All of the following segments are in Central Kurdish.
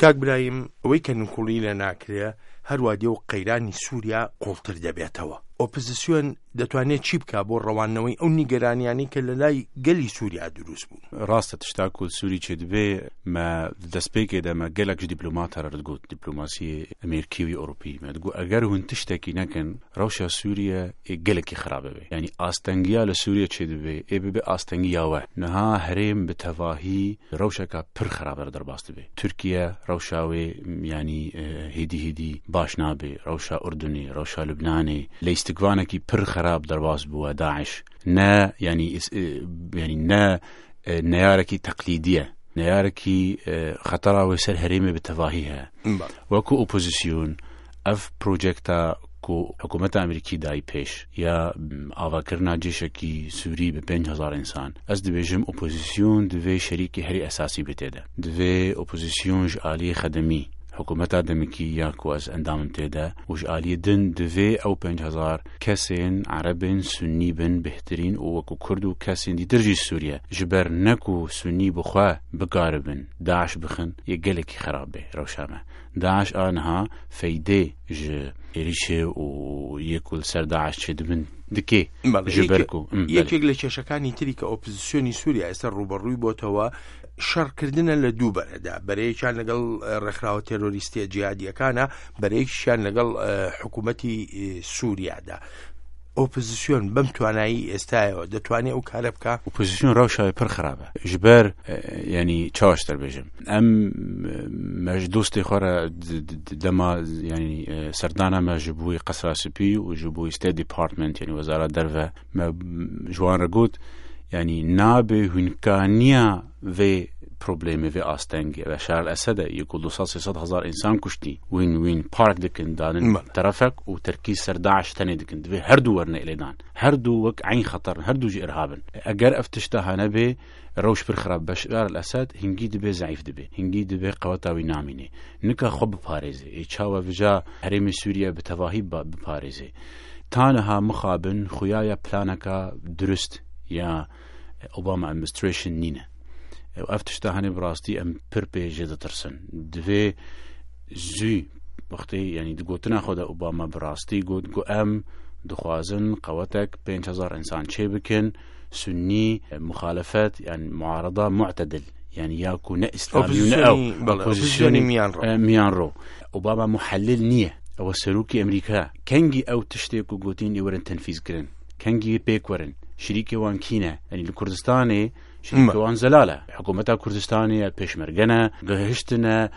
کاک برایم، ئەوەی کە نکوڵی لێ ناکرێ، هەروا دێ و قەیرانی سووریا قووڵتر دەبێتەوە. ئۆپزسیۆن دەتوانێ چی بکا بۆ ڕەواندنەوەی ئەو نیگەرانیانەی کە لە لای گەلی سووریا دروست بوون؟ ڕاستە تشتا کو سووری چێ دبێ مە د دەستپێکێ دە مە گەلەک ژ دیپلۆماتا رە دگوت، دیپلۆماسی ئەمێرکی و ئۆروپی، مە دگوت ئەگەر هون تشتەکی نەکەن رەوشا سووریە ئێ گەلەکی خراب ببێ. یانی ئاستەنگیا لە سووریە چێ دبێ ئێ ببێ ئاستەنگیا وە. نها هەرێم bi tevahî rewşeka pir xerab re derbas dibe. Tirkiye rewşa wê yanî hêdî hêdî baş nabe. Rewşa Urdunê, rewşa Lubnanê leyistikvanekî pir xerab derbas bûye Daiş. Ne yanî yanî ne neyarekî teqlîdî ye. Neyarekî xetera wê ser herêmê bi tevahî heye. Wekû opozîsyon ev projekta ku hikûmeta Amerîkî dayî pêş ya avakirina cêşekî Sûrî bi 5000 însan, ez dibêjim opozîsyon divê şerîkê herî esasî bê tê de. Divê opozîsyon ji aliyê xedemî hikûmeta demikî ya ku ez endamim tê de û ji aliyê din divê ew 5000 kesên erebên sunnî bin bêhtirîn û wekû kurd û kesên dîtir jî Sûriye ji ber ne ku sunnî bi xwe bikaribin Daiş bixin yê gelekî xerab bê rewşa me. Daiş a niha feydê ji êrîşê û yê ku li ser Daiş çêdibin dikê ji ber ku یەکێک لە کێشەکانی تری کە ئۆپزسیۆنی سووریا ئێستا ڕووبەڕووی بۆتەوە شەڕکردنە لە دوو بەرەدا، بەرەیەکیان لەگەڵ ڕێکخراوە تێرۆریستیە جیهادیەکانە، بەرەیەکیشیان لەگەڵ حکوومەتی سووریادا. ئۆپزسیۆن بەم توانایی ئێستایەوە دەتوانێت ئەو کارە بکا؟ ئۆپزسیۆن ڕەوشاوی پڕ خراپە ji ber yanî çawa ji te bêjim em me ji dostê xwe re dema yanî serdana me ji bo Qesra Spî û ji bo State Department yanî Wezara Derve me ji wan re got yanî nabe hûnkaniya vê problemê vê astengê Beşar el Esed e yê ku du sed sê sed hezar însan kuştî wîn wîn park dikin danin terefek û terkîz ser Daeş tenê dikin divê her du werine êlêdan her du wek eyn xeter in her du jî irhab in eger ev tişta hane bê rewş pir xirab Beşar el Esed hingî dibê zeîf dibê hingî dibê qeweta wî namînê nika xwe biparêzê ê çawa vija herêmê Sûriye bi tevahî biparêzê ta niha mixabin xuyaya planeka dirust ya Obama administration nîne. Ev tişta hanê bi rastî em pir pê jê ditirsin. Divê zû wextê yanî di gotina xwe de Obama bi rastî got ku em dixwazin qewetek 5000 însan çê bikin sunnî muxalefet yan muarada mu'tedil yani ya ku ne İslamî û ne ew opozisyonî miyanro. Obama muhellil niye. Ew serokê Amerîka kengî ew tiştê ku gotîn ê werin tenfîz kirin. Kengî pêk werin? Şirîkê wan kî ne? Yanî li Kurdistanê şirîkê wan zelal e. Hikûmeta Kurdistanê ye, pêşmerge ne, gihiştine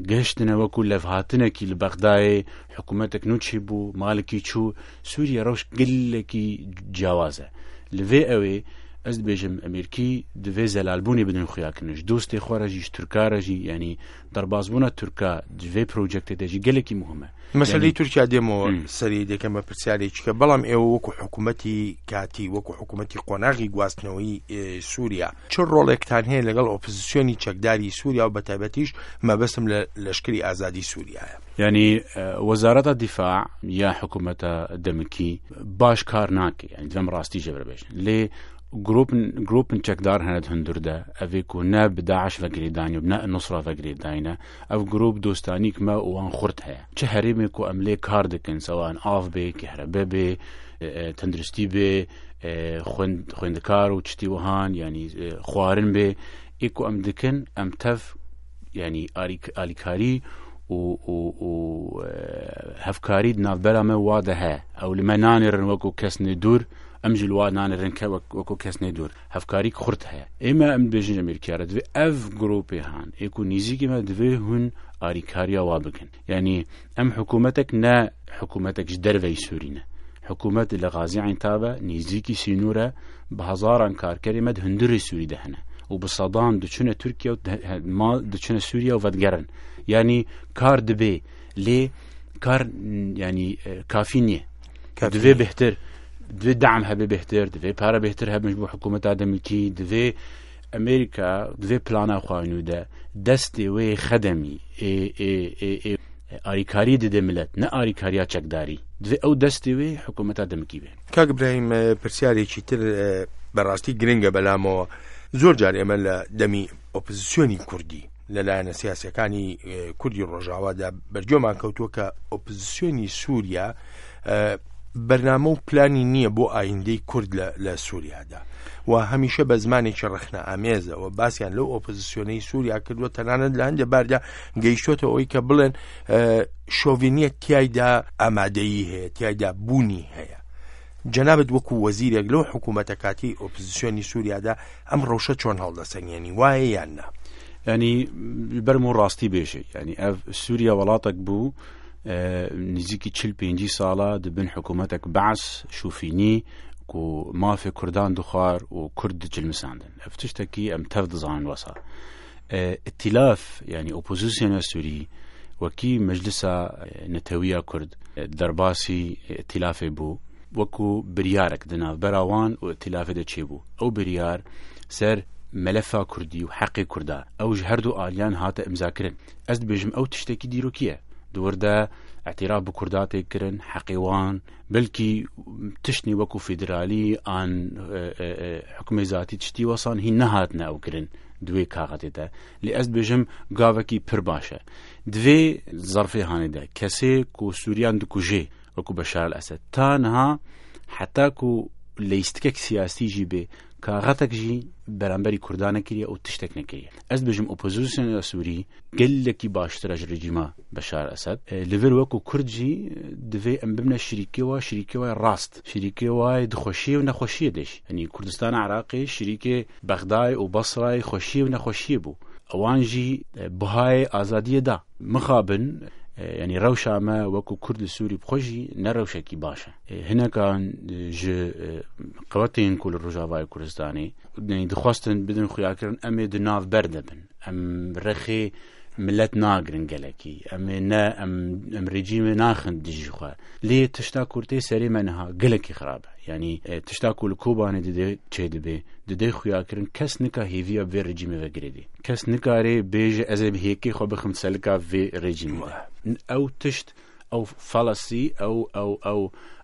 gihiştine wekû levhatinekî li Bexdayê, hikûmetek nû çêbû, Malikî çû. Sûriye rewş gelekî ciyawaz e. Li vê ewê ez dibêjim Amerîkî divê zelalbûnê bidin xuyakirin. Ji dostê xwe re jî, ji Tirka re jî, yanî derbasbûna Tirka di vê projektê de jî gelekî muhim e. مەسەلەی تورکیا دێمەوە سەری دەکەم بە پرسیارێکی کە بەڵام ئێوە وەکو حکوومەتی کاتی وەکو حکوومەتی قۆناغی گواستنەوەی سووریا چ ڕۆڵێکتان هەیە لەگەڵ ئۆپزسیۆنی چەکداری سووریا و بەتایبەتیش مەبەستم لە لەشکری ئازادی سووریایە؟ یعنی وەزارەتە دیفاع یا حکوومەتە دەمکی باش کار ناکە یعنی دەم ڕاستی جێبرە بێژن لێ گروپن چەکدار هەنە هەندوردە ئەvê ku ne bi Daeş ve girêdanî û ne Nusra ve girêdayîne Ev grûp dostanîk me û wan xurt heye. Çi herêmê ku em lê kar dikin, sewan av bê, kehrebe bê, tenduristî bê, xwendekar û çitî wihan, yanî xwarin bê, ê ku em dikin em tev yanî alîkarî û û hevkarî di navbera me wa de heye. Ew li me nanêrin wekû kesnê dûr, em jî li wa nanêrin ke wekû kesnê dûr. Hevkarîk xurt heye. Ême em dibêjin ji Amerîkaya re divê ev grûpê han ê ku nêzîkî me divê hûn alîkariya wa bikin. Yanî em hikûmetek ne hikûmetek ji derveyî Sûrî ne. Hikûmet li Gazî Eyntab e, nêzîkî sînor e, bi hezaran karkerê me di hundirê Sûrî de hene û bi sedan diçine Tirkiye û mal diçine Sûriye û vedigerin. Yanî kar dibê lê kar yanî kafî niye. Divê bêhtir divê deam hebe bêhtir, divê pare bêhtir hebin ji bo hikûmeta demikî, divê Amerîka divê plana xwe nû de destê wê xedemî ê ê ê ê alîkarî dide milet ne alîkariya çekdarî. Divê ew destê wê hikûmeta demikî bê. کاک ئیبراهیم پرسیارێکی تر بەڕاستی گرنگە بەلامەوە زۆر جار ئێمە لە دەمی ئۆپزسیۆنی کوردی لە لایەنە سیاسیەکانی کوردی ڕۆژاوادا بەرگوێمان کەوتووە کە ئۆپزسیۆنی سووریا بەرنامە و پلانی نییە بۆ ئایندەی کورد لە سووریادا و هەمیشە بە زمانێکی ڕەخنە ئامێزەوە باسییان لەو ئۆپۆزیسیۆنەی سووریا کردووە، تەنانەت لە هەندێک باردا گەیشتۆتە ئەوەی کە بڵێن شۆڤینیە تایدا ئامادەیی هەیە، تایدا بوونی هەیە. جەنابت وەکو وەزیرێک لەو حکوومەتە کاتی ئۆپزسیۆنی سووریادا ئەم ڕەوشە چۆن هەڵدەسەنگێنی، وایە یان نا؟ ینی بەرم و ڕاستی بێژێ، ینی ئەv سووریا وڵاتێک بوو نزیکی چل پێنجی ساڵە دبن حکوومەتێک بەعس شوفینی و مافێ کوردان دخوار و کورد دجلمساندن. ئەv تشتێکی ئەم تەv دزانن وەسا ئیتیلاف، یعنی ئۆپۆزیسیۆنە سووری وەکی مەجلسا نەتەویە کورد دەرباسی ئیتیلافێ بوو، وەکو بریارێک دناوبەرا وان و ئیتیلافێ دە چێ بوو. ئەو بریار سەر مەلەفا کوردی و حەقی کووردا ئەوش هەردوو ئالیان هاتە ئیمزاکردن. ئەس دبێژم ئەو تشتێکی دیرۆکیە دووردە اعتراف بە کورداتێک کردن حەقیوان، بلکی تشتنی وەکو فیدرالی ئان حکومی زاتی تشتی وەسان هی نەهاتنە ئەو کردن دوێ کاغەتێتە. لێ ئەس بێژم گاوەکی پر باشە دوێ زەرفێ هانێدا کەسێ کو سووریان دکوژێ وەکو بەشار ئەسەد تا نها حتا کو لەیستکێک سیاسی ژی بێ کاغەتێک ژی بەرامبەری کوردانە کریە ئەو تشتێک نەکریە. ئەس بێژم ئۆپۆزیسیۆن سووری gelekî baştir ji rejîma Beşar Esed. Li vir wekû Kurd jî divê em bibine şirîkê wa, şirîkê wa rast, şirîkê wa dixweşiyê û nexweşiyê de jî. Yanî Kurdistana Iraqê şirîkê Bexdayê û Basrayê xweşiyê û nexweşiyê bû. Ewan jî bihayê azadiyê da. Mixabin, yanî rewşa me wekû Kurd li Sûrî bixwe jî ne rewşekî baş e. Hinekan ji qewetên ku li Rojavayê Kurdistanê dixwastin bidin xuyakirin em ê di nav ber de bin. Em rexê millet nagirin gelekî. Em ê ne em rejîmê naxin dijî xwe. Lê tişta ku tê serê me niha gelekî xirab e. Yanî tişta ku li Kobanê dide çê dibe, dide xuyakirin kes nika hêviya vê rejîmê vegirêdê. Kes nikarê bêje ez ê bi hêkê xwe bixim selika vê rejîmê. Ew tişt, ew falasî,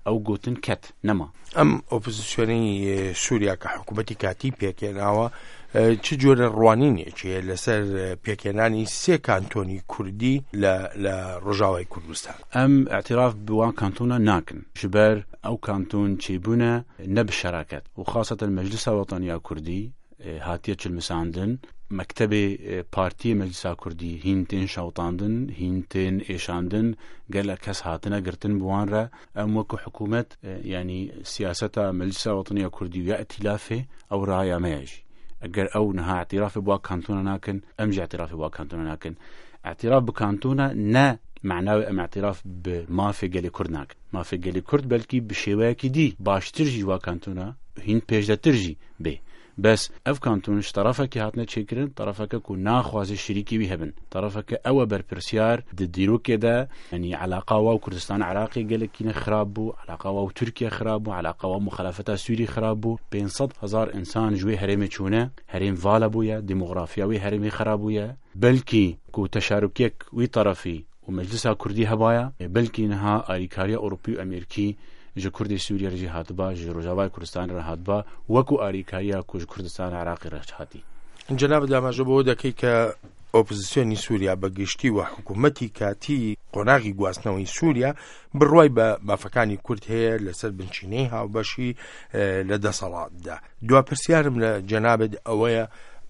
ew gotin ket nema. ئەم ئۆپۆزیسیۆنەی سووریا کە حکوومەتی کاتی پێکێناوە چ جۆرە ڕوانینێکی هەیە لەسەر پێکهێنانی سێ کانتۆنی کوردی لە ڕۆژاوای کوردستان؟ ئەم اعتراف بوان کانتۆنە ناکەن، ژبەر ئەو کانتۆن چێبوونە نە بشەراکەت و خاصەتەن مەجلسا وەتەنیا کوردی هاتیە چلمساندن، مەکتەبێ پارتی مەجلسا کوردی هین تێن شەوتاندن، هین تێن ئێشاندن، gelek kes hatine girtin bi wan re. Em wekû hikûmet yanî siyaseta Meclisa Wetaniya Kurdî ya îtîlafê ew raya me ye jî. Eger ew niha اعترافê bi kantona nakin, em jî اعترافê bi kantona nakin. اعتراف bi kantona ne معناوي em اعتراف bi mafê gelê Kurd nakin. Mafê gelê Kurd belkî bi şêweyekî dî baştir jî wa kantona hîn pêşdetir jî bê. بەس ev kanton ji tarafekî hatine çêkirin, tarafeke ku naxwaze şirîkî wî hebin. Tarafeke ew e berpirsyar di dîrokê de, yanî eleqa wa û Kurdistana Iraqê gelekî ne xirab bû, eleqa wa û Tirkiye xirab bû, eleqa wa muxalefeta Sûrî xirab bû. 500 hezar insan ji wê herêmê çûne, herêm vala bûye, demografiya wê herêmê xirab bûye. Belkî ku teşarukiyek wî tarafî û Meclisa Kurdî hebaya, belkî niha alîkariya Ewropî û Amerîkî ji Kurdê Sûriye re jî hatiba, ji Rojavayê Kurdistanê re hatiba, wekû alîkariya ku ji Kurdistana Iraqê re hatî. جەنابت ئاماژە بەوە دەکەی کە ئۆپۆزیسیۆنی سووریا بە گشتی و حکوومەتی کاتی قۆناغی گواستنەوەی سووریا بڕوای بە مافەکانی کورد هەیە لەسەر بنچینەی هاوبەشی لە دەسەڵاتدا. دوا پرسیارم لە جەنابت ئەوەیە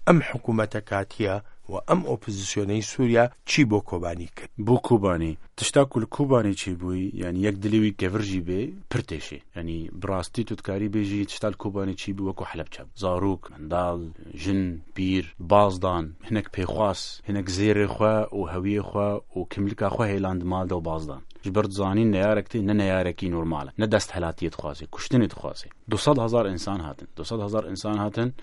ئەم حکوومەتە کاتیە و ئەم ئۆپۆزیسیۆنەی سووریا چی بۆ کۆبانی کرد؟ بۆ کۆبانی تشتا ku li Kobanê çêbûyî, yanî yek dilê wî kevir jî bê pir têşê. Yanî bi rastî tu dikarî bêjî tişta li Kobanê çî bû wekû Helebçe bû. Zarok, mendal, jin, pîr, bazdan, hinek pêxwas, hinek zêrê xwe û hewiyê xwe û kimlika xwe hêlan di mal de û bazdan. Ji ber dizanîn neyarek tê ne neyarekî normal e, ne desthilatiyê dixwaze, kuştinê dixwaze. Du sed hezar insan hatin, du sed hezar insan hatin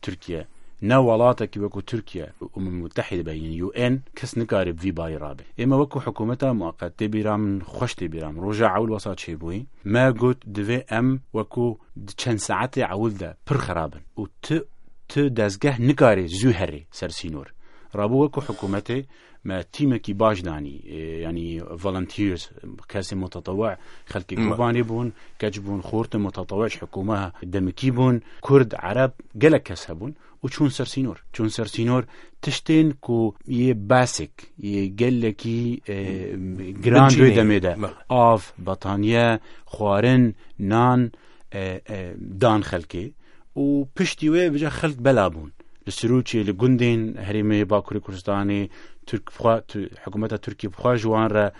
Tirkiye. Ne welatekî wekû Tirkiye Umum Mutehide be yên UN kes nikare bi vî barî rabe. Ême wekû hikûmeta mueqet tê bîra min, xweş tê bîra min. Roja ewil wesa çêbûyî. Me got divê em wekû di çend saetê ewil de pir xerab bin û tu dezgeh nikare zû herê ser sînor. Rabû wekû hikûmetê me tîmekî baş danî yanî volunteers kesê mutetewî xelkê Kobanê bûn, keç bûn, xortin mutetewî ji hikûme demikî bûn, Kurd, Ereb gelek kes hebûn û çûn ser sînor. Çûn ser sînor tiştên ku yê basik yê gelekî giran duê demê de av, betaniye, xwarin, nan dan xelkê û piştî wê bica xelk bela bûn. Li Sirûçê, li gundên herêmê Bakurê Kurdistanê, Türk xwe, hikûmeta Tirkiyê bi xwe ji wan re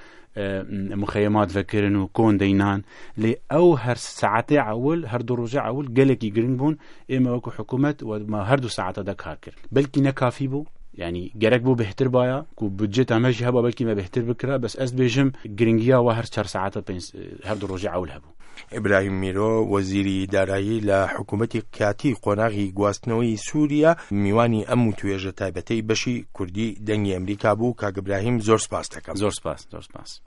muxeyemat vekirin û kon deynan. Lê ew her saetê ewil, her du rojê ewil gelekî giring bûn. Ême wekû hikûmet me her du saeta de kar kir. Belkî ne kafî bû, yanî gerek bû bêhtir baya ku budceta me jî heba belkî me bêhtir bikira, bes ez dibêjim giringiya we her çar saeta pênc her du rojê ewil hebû. ئیبراهیم میرۆ، وەزیری دارایی لە حکوومەتی کاتی قۆناغی گواستنەوەی سووریا، میوانی ئەم وتوێژە تایبەتەی بەشی کوردی دەنگی ئەمریکا بوو. کاک ئیبراهیم زۆر سپاست دەکەم. زۆر سپاس، زۆر سپاس.